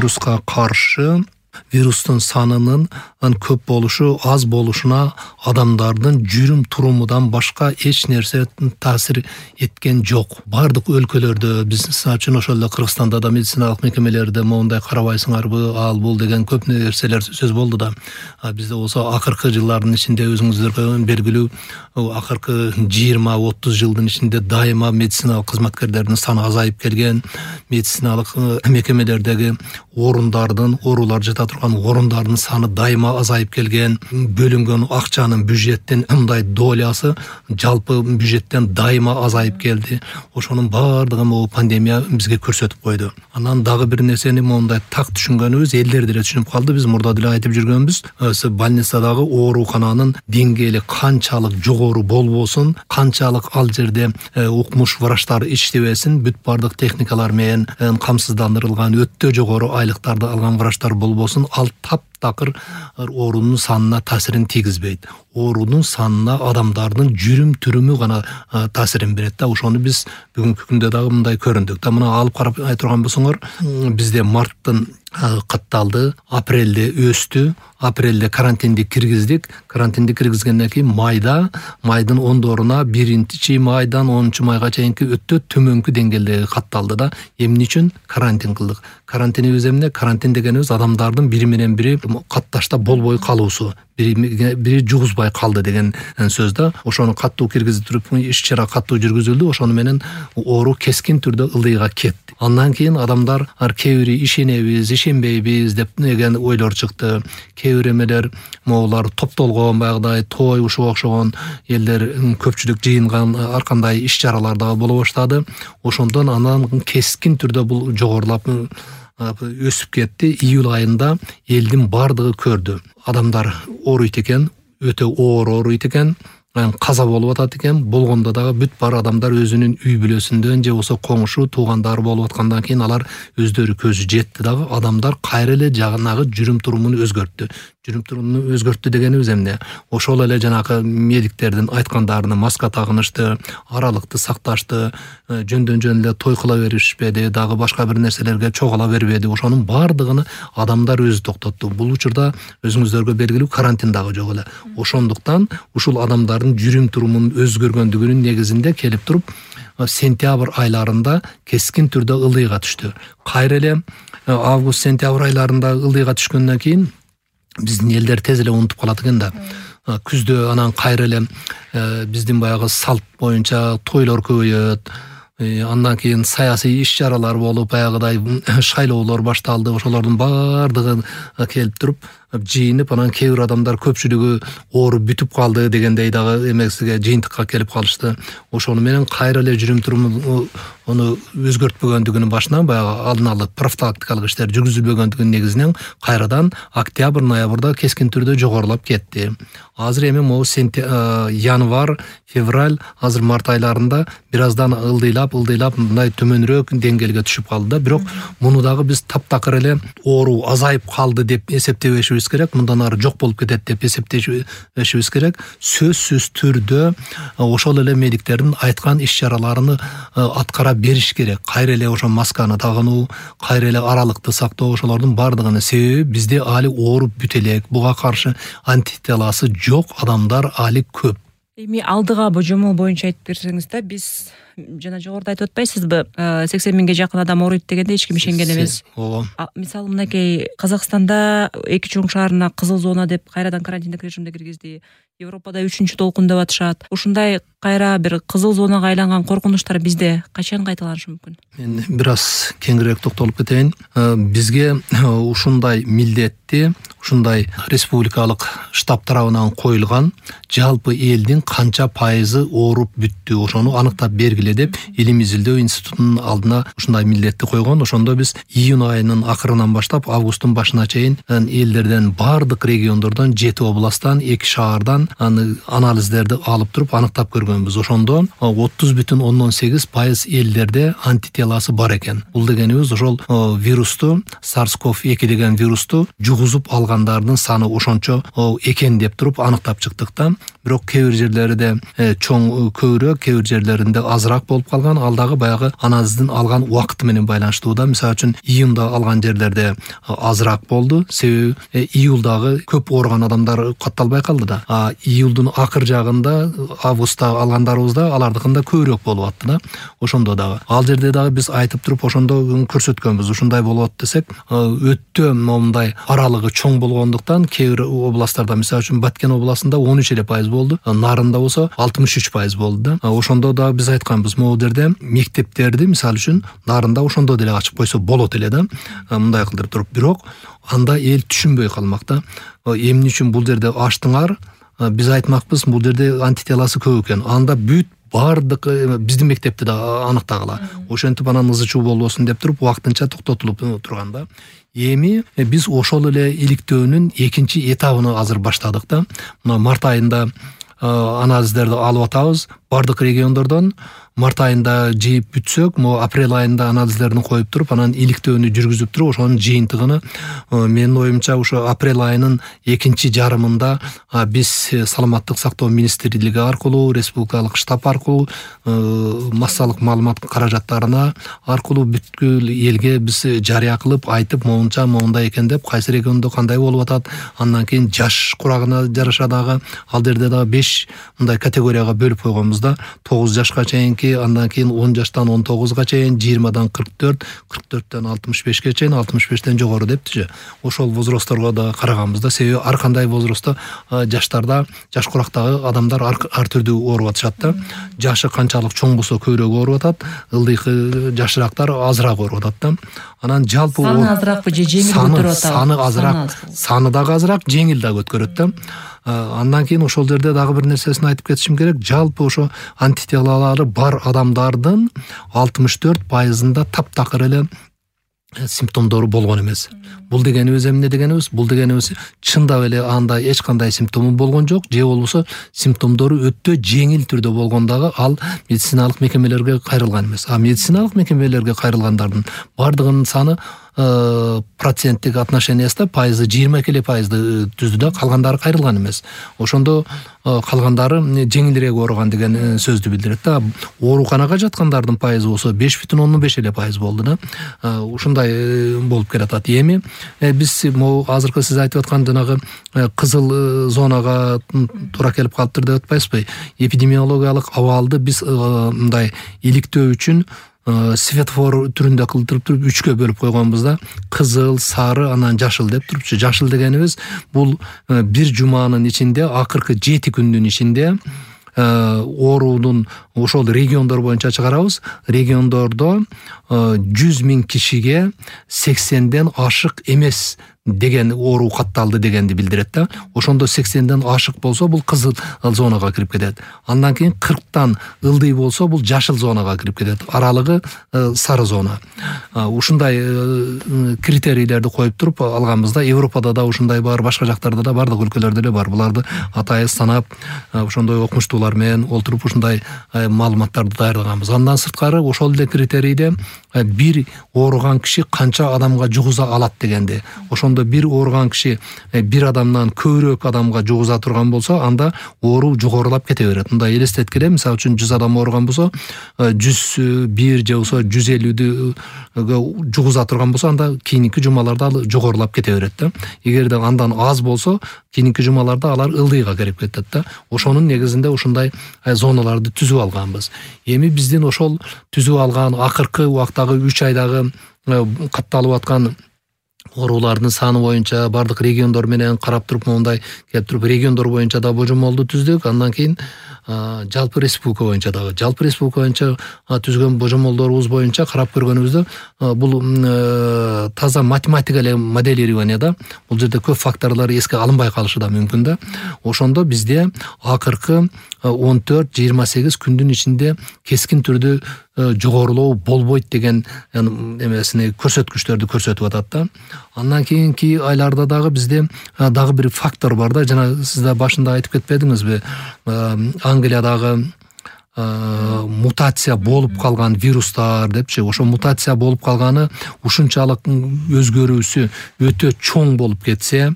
вируска каршы вирустун санынын көп болушу, аз болушуна адамдардын жүрүм турумудан башка эч нерсе таасир эткен жок. Бардык өлкөлөрдө, биз үчүн ошол эле Кыргызстанда да медициналык мекемелерде моундай карабайсыңарбы, ал бул деген көп нерселер сөз болду да. Бизде болсо акыркы жылдардын ичинде өзүңүздөргө белгилүү акыркы 20-30 жылдын ичинде дайыма медициналык кызматкерлердин саны азайып келген, медициналык мекемелердеги оорулар жата турган орундардын саны дайыма азайып келген, бөлүнгөн акчанын бюджеттин мындай долясы жалпы бюджеттен дайыма азайып келди. Ошонун баардыгын бул пандемия бизге көрсөтүп койду. Анан дагы бир нерсени моундай так түшүнгөнүбүз, элдер деле түшүнүп калды. Биз мурда деле айтып жүргөнбүз, больницадагы оорукананын деңгээли канчалык жогору болбосун, канчалык ал жерде укмуш врачтар иштебесин, бүт бардык техникалар менен камсыздандырылган өтө жогору айлыктарды алган врачтар болбосун, ал таптакыр оорунун санына таасирин тийгизбейт. Оорунун санына адамдардын жүрүм түрүмү гана таасирин берет да. Ошону биз бүгүнкү күндө дагы мындай көрүндүк да. Мына алып карап айтырган болсоңор, бизде марттын катталды, апрелде өстү, апрелде карантинди киргиздик. Карантинди киргизгенден кийин майдын ондоруна 1-майдан 10-майга чейинки өтө төмөнкү деңгээлде катталды да. Эмне үчүн карантин кылдык? Карантинибиз эмне? Карантин дегенибиз адамдардын бири менен бири катташта болбой калуусу, бири жугузбай калды деген сөз да. Ошону каттуу киргизип туруп, иш-чара каттуу жүргүзүлдү. Ошону менен оору кескин түрдө ылдыйга кетти. Андан кийин адамдар кээ бири ишенебиз, ишенбейбиз деп деген ойлор чыкты. Кээ бир эмелер моулар топтолгон, баягыдай той ушуга окшогон элдер көпчүлүк жыйынган ар кандай иш-чаралар дагы боло баштады. Ошондон анан кескин түрдө бул жогорулап өсүп кетти. Июль айында элдин бардыгы көрдү. Адамдар ооруйт экен, өтө оор ооруйт экен, каза болуп атат экен. Болгондо дагы бүт бар адамдар өзүнүн үй бүлөсүндөн же болсо комушу, туугандары болуп аткандан кийин алар өздөрү көзү жетти дагы. Адамдар кайра эле жанагы жүрүм турумун өзгөрттү. Жүрүм турумун өзгөрттү дегенибиз эмне? Ошол эле жанагы медиктердин айткандарына маска тагынышты, аралыкты сакташты, жөндөн эле той кыла беришпеди, дагы башка бир нерселерге чогула бербеди. Ошонун баардыгын адамдар өзү токтотту. Бул учурда өзүңүздөргө белгилүү карантин дагы жок эле. Ошондуктан ушул адамдардын жүрүм турумунун өзгөргөндүгүнүн негизинде келип туруп сентябрь айларында кескин түрдө ылдыйга түштү. Кайра эле август-сентябрь айларында ылдыйга түшкөндөн кийин биздин элдер тез эле унутуп калат экен да. Күздө анан кайра эле биздин баягы салт боюнча тойлор көбөйөт. Андан кийин саясий иш-чаралар болуп, баягыдай шайлоолор башталды. Ошолордун баардыгы келип туруп жыйынып, анан кээ бир адамдар көпчүлүгү ооруп бүтүп калды дегендей дагы эмесиге жыйынтыкка келип калышты. Ошону менен кайра эле жүрүм туруму ону өзгөртпөгөндүгүнүн башынан баягы алдын ала профилактикалык иштер жүргүзүлбөгөндүгүнүн негизинен кайрадан октябрь-ноябрда кескин түрдө жогорулап кетти. Азыр эми могу январь, февраль, азыр март айларында бир аздан ылдыйлап мындай төмөнүрөөк деңгээлге түшүп калды да. Бирок муну дагы биз таптакыр эле оору азайып калды деп эсептебешибиз керек. Мындан ары жок болуп кетет деп эсептешибиз керек. Сөзсүз түрдө ошол эле медиктердин айткан иш-чараларын аткара бериш керек. Кайра эле ошо масканы тагынуу, кайра эле аралыкты сактоо, ошолордун баардыгынын себеби бизде али ооруп бүт элек. Буга каршы антителасы жок адамдар али көп. Эми алдыга божомол боюнча айтып берсеңиз да, биз жана жогоруда айтып атпайсызбы, 80 миңге жакын адам ооруйт дегенде эч ким ишенген эмес. Мисалы мынакей Казакстанда 2 чоң шаарына кызыл зона деп кайрадан карантиндик режимде киргизди. Европада 3-чү толкун деп атышат. Ушундай кайра бир кызыл зонага айланган коркунучтар бизде качан кайталанышы мүмкүн? Мен бир аз кеңирээк токтолуп кетейин. Бизге ушундай милдетти, ушундай республикалык штаб тарабынан коюлган жалпы элдин канча пайызы ооруп бүттү, ошону аныктап бергиле деп Илим изилдөө институтунун алдына ушундай милдетти койгон. Ошондо биз июнь айынын акырынан баштап августтун башына чейин элдерден бардык региондордон 7 областтан 2 шаардан анализдерди алып туруп аныктап көргөнбүз. көргөнбүз. Ошондо 30,8% элдерде антителасы бар экен. Бул дегенибиз ошол вирусту, SARS-CoV-2 деген вирусту жугузуп алгандардын саны ошончо экен деп туруп аныктап чыктык да. Бирок кээ бир жерлерде чоң көбүрөөк, кээ бир жерлеринде азыраак болуп калган. Ал дагы баягы анализдин алган убакыты менен байланыштуу да. Мисалы үчүн июнда алган жерлерде азыраак болду. Себеби июлдагы көп ооруган адамдар катталбай калды да. Июлдун акыр жагында, августта алгандарыбызда алардыкында көбүрөөк болуп атты да. Ошондо дагы ал жерде дагы биз айтып туруп ошондо көрсөткөнбүз. Ушундай болот десек, өтө момундай аралыгы чоң болгондуктан кээ бир областтарда, мисалы үчүн Баткен областында 13% болду, Нарында болсо 63% болду да. Ошондо да биз айтканбыз, могу жерде мектептерди мисалы үчүн Нарында ошондо деле ачып койсо болот эле да. Мындай кылдырып туруп, бирок анда эл түшүнбөй калмак да. Эмне үчүн бул жерде ачтыңар? Биз айтмакпыз, бул жерде антителасы көп экен. Анда бүт бардык биздин мектепте да аныктагыла. Ошентип анан ызы чуу болбосун деп туруп убактынча токтотулуп турган да. Эми биз ошол эле иликтөөнүн экинчи этабын азыр баштадык да. Мына март айында анализдерди алып атабыз бардык региондордон. Март айында жыйып бүтсөк, могу апрель айында анализдерин коюп туруп, анан иликтөөнү жүргүзүп туруп, ошонун жыйынтыгын менин оюмча ошо апрель айынын экинчи жарымында биз Саламаттык сактоо министрлиги аркылуу, республикалык штаб аркылуу, массалык маалымат каражаттарына аркылуу бүткүл элге биз жарыя кылып айтып, моундай экен деп, кайсы региондо кандай болуп атат, андан кийин жаш курагына жараша дагы ал жерде дагы 5 мындай категорияга бөлүп койгонбуз да. 9 жашка чейинки, андан кийин 10 жаштан 19га чейин, 20дан 44, 44төн 65ке чейин, 65тен жогору дептичи. Ошол возрастторго да караганбыз да. Себеби ар кандай возрастта жаштарда, жаш курактагы адамдар ар түрдүү ооруп атышат да. Жашы канчалык чоң болсо көбүрөөк ооруп атат, ылдыйкы жашыраактар азыраак ооруп атат да. Анан жалпы саны азыраакпы же жеңил көтөрүп атат? Саны азыраак, саны дагы азыраак, жеңил дагы өткөрөт да. Андан кийин ошол жерде дагы бир нерсесин айтып кетишим керек. Жалпы ошо антителалары бар адамдардын 64%-ында таптакыр эле симптомдору болгон эмес. Бул дегенибиз эмне дегенибиз? Бул дегенибиз чындап эле анда эч кандай симптому болгон жок, же болбосо симптомдору өтө жеңил түрдө болгондагы ал медициналык мекемелерге кайрылган эмес. Медициналык мекемелерге кайрылгандардын бардыгынын саны проценттик отношениясында пайызы 22% түздү да, калгандары кайрылган эмес. Ошондо калгандары жеңилирээк ооруган деген сөздү билдирет да. Ооруканага жаткандардын пайызы болсо 5,5% болду да. Ушундай болуп келатат. Эми биз могу азыркы сиз айтып аткан жанагы кызыл зонага туура келип калыптыр деп атпайсызбы? Эпидемиологиялык абалды биз мындай иликтөө үчүн светофор түрүндө кылдырып туруп 3кө бөлүп койгонбуз да. Кызыл, сары, анан жашыл деп турупчу. Жашыл дегенибиз бул бир жуманын ичинде, акыркы 7 күндүн ичинде оорунун ошол региондор боюнча чыгарабыз. Региондордо 100,000 кишиге 80ден ашык эмес деген оору катталды дегенди билдирет да. Ошондо 80ден ашык болсо бул кызыл зонага кирип кетет. Андан кийин 40тан ылдый болсо бул жашыл зонага кирип кетет. Аралыгы сары зона. Ушундай критерийлерди коюп туруп алганбызда. Европада да ушундай бар, башка жактарда да, бардык өлкөлөрдө эле бар. Буларды атайын санап, ошондой окумуштуулар менен олтуруп ушундай маалыматтарды даярдаганбыз. Андан сырткары ошол эле критерийде бир ооруган киши канча адамга жугуза алат дегенди. Ошондо бир ооруган киши бир адамдан көбүрөөк адамга жугуза турган болсо, анда оору жогорулап кете берет. Мындай элестеткиле, мисалы үчүн 100 адам ооруган болсо, 101 же болсо 150 жугуза турган болсо, анда кийинки жумаларда ал жогорулап кете берет да. Эгерде андан аз болсо, кийинки жумаларда алар ылдыйга кирип кетет да. Ошонун негизинде ушундай зоналарды түзүп алганбыз. Эми биздин ошол түзүп алган акыркы убактагы 3 айдагы катталып аткан оорулардын саны боюнча бардык региондор менен карап туруп, моундай келип туруп региондор боюнча да божомолду түздүк. Андан кийин жалпы республика боюнча түзгөн божомолдорубуз боюнча карап көргөнүбүздө бул таза математика эле моделирование да. Бул жерде көп факторлор эске алынбай калышы да мүмкүн да. Ошондо бизде акыркы 14-28 күндүн ичинде кескин түрдө жогорулоо болбойт деген эмесини көрсөткүчтөрдү көрсөтүп атат да. Андан кийинки айларда дагы бизде дагы бир фактор бар да. Жана сиз да башында айтып кетпедиңизби? Англиядагы мутация болуп калган вирустар депчи, ошо мутация болуп калганы ушунчалык өзгөрүүсү өтө чоң болуп кетсе,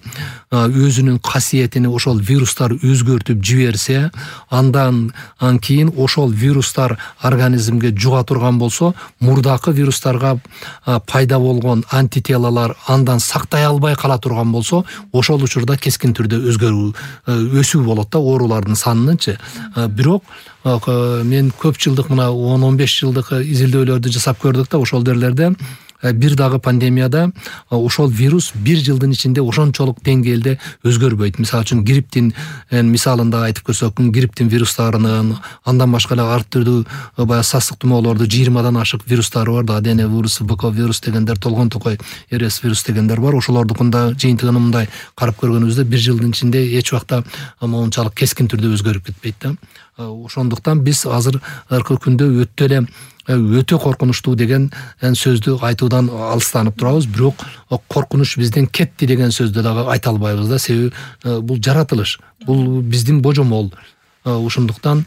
өзүнүн касиетини ошол вирустар өзгөртүп жиберсе, андан кийин ошол вирустар организмге жуга турган болсо, мурдакы вирустарга пайда болгон антителалар андан сактай албай кала турган болсо, ошол учурда кескин түрдө өсүү болот да оорулардын санынынчы. Бирок мен көп жылдык мына 10-15 жылдык изилдөөлөрдү жасап көрдүк да, ошол жерлерде бир дагы пандемияда ошол вирус бир жылдын ичинде ошончолук деңгээлде өзгөрбөйт. Мисалы үчүн грипптин мисалында айтып көрсөк, грипптин вирустарынын, андан башка эле ар түрдүү баягы сасык тумоолорду 20дан ашык вирустары бар да, АДН вирусу, БК вирус дегендер, толгон токой РС вирус дегендер бар. Ошолордукунда жыйынтыгын мындай карап көргөнүбүздө бир жылдын ичинде эч убакта мончалык кескин түрдө өзгөрүп кетпейт да. Ошондуктан биз азыркы күндө өтө коркунучтуу деген сөздү айтуудан алыстанып турабыз. Бирок коркунуч бизден кетти деген сөздү дагы айта албайбыз да, себеби бул жаратылыш, бул биздин божомол. Ошондуктан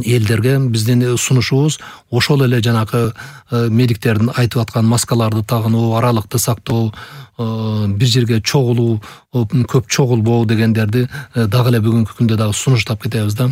элдерге биздин сунушубуз ошол эле жанакы медиктердин айтып аткан маскаларды тагынуу, аралыкты сактоо, бир жерге чогулуу, көп чогулбоо дегендерди дагы эле бүгүнкү күндө дагы сунуштап кетебиз да.